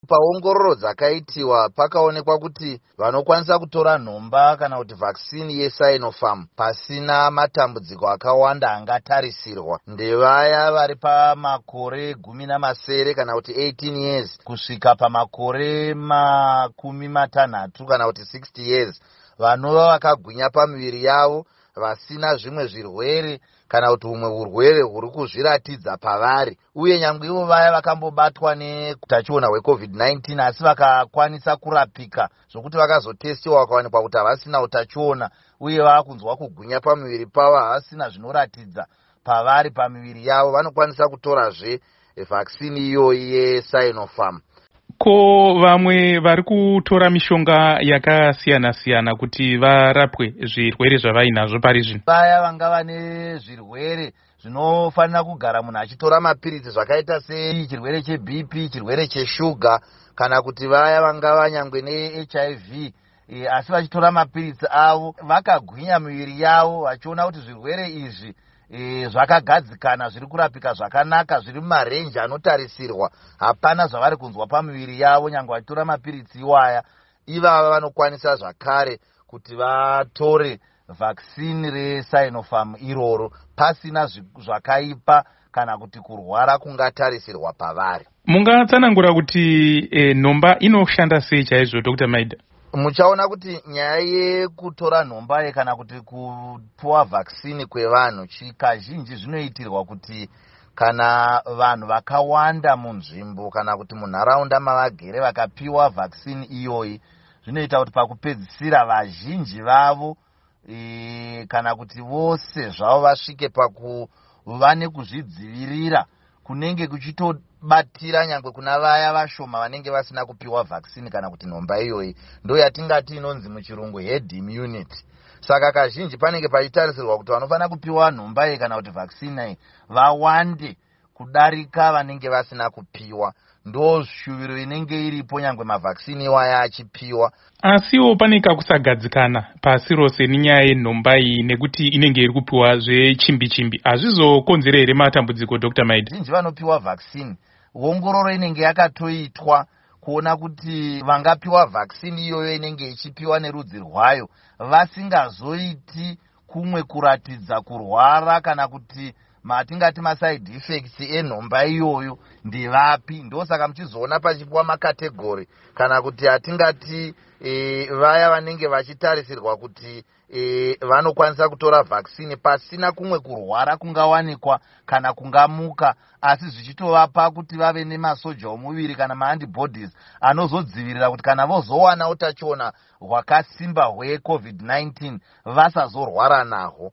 Paongororo dzakaitiwa pakaonekwa kuti vanokwanisa kutora nhomba kana kuti vaccine yeSinopharm pasina matambudziko akawanda angatarisirwa ndevaya vari pamakore 17 kana kuti 18 years kusvika pamakore 60 kana kuti 60 years, vanova vakagwinya pamiviri yavo, vasina zvimwe zvirwere kana kuti humwe urwere huri kuzviratidza pavari, uye nyange ivo vaya vakambobatwa neutachiona hweCovid-19 asi vakakwanisa kurapika zvokuti vakazotestiwa vakawanikwa kuti havasina utachiona uye vaakunzwa kugwinya pamuviri pavo, havasina zvinoratidza pavari pamiviri yavo, vanokwanisa kutorazve vaccine iyoyi yeSinopharm. Ko vamwe vari kutora mishonga yakasiyana-siyana kuti varapwe zvirwere zvavainazvo pari zvino? Vaya vanga vane zvirwere zvinofanira kugara munhu achitora mapiritsi, zvakaita sechirwere cheBP, chirwere cheshuga, kana kuti vaya vangava nyangwe neHIV asi vachitora mapiritsi avo, vakagwinya miviri yavo, vachiona kuti zvirwere izvi zvakagadzikana, zviri kurapika zvakanaka, zviri mumarenji anotarisirwa, hapana zvavari kunzwa pamiviri yavo nyange vachitora mapiritsi iwaya, ivava vanokwanisa zvakare kuti vatore vaccine reSinopharm iroro pasina zvakaipa kana kuti kurwara kungatarisirwa pavari. Mungatsanangura kuti nhomba inoshanda sei chaizvo, Dr Maida? Muchaona kuti nyaya yekutora nhomba ye kana kuti kupuwa vaccine kwevanhu, kazhinji zvinoitirwa kuti kana vanhu vakawanda munzvimbo kana kuti munharaunda mavagere vakapiwa vaccine iyoyi, zvinoita kuti pakupedzisira vazhinji vavo kana kuti vose zvavo vasvike pakuva nekuzvidzivirira kunenge kuchitobatira nyangwe kuna vaya vashoma vanenge vasina kupiwa vaccine kana kuti nhomba iyoyi. Ndo yatingati inonzi muchirungu herd immunity. Saka kazhinji panenge pachitarisirwa kuti vanofanira kupiwa nhomba iyi kana kuti vaccine iyi vawande kudarika vanenge vasina kupiwa. Ndo shuviro inenge iripo nyangwe mavaccine iwaya achipiwa. Asiwo pane kakusagadzikana pasi rose nenyaya yenhomba iyi, nekuti inenge iri kupiwa zvechimbi chimbi. Hazvizokonzera here matambudziko, Dr Maida? Zhinji vanopiwa vaccine, ongororo inenge yakatoitwa kuona kuti vangapiwa vaccine iyoyo inenge ichipiwa nerudzi rwayo vasingazoiti kumwe kuratidza kurwara kana kuti matingati maside effects enhomba iyoyo ndevapi. Ndosaka muchizoona pachipiwa macategory kana kuti hatingati vaya vanenge vachitarisirwa kuti vanokwanisa kutora vaccine pasina kumwe kurwara kungawanikwa kana kungamuka, asi zvichitovapa kuti vave nemasoja omuviri kana maantibodies anozodzivirira kuti kana vozowana utachiona hwakasimba hweCovid-19 vasazorwara nahwo.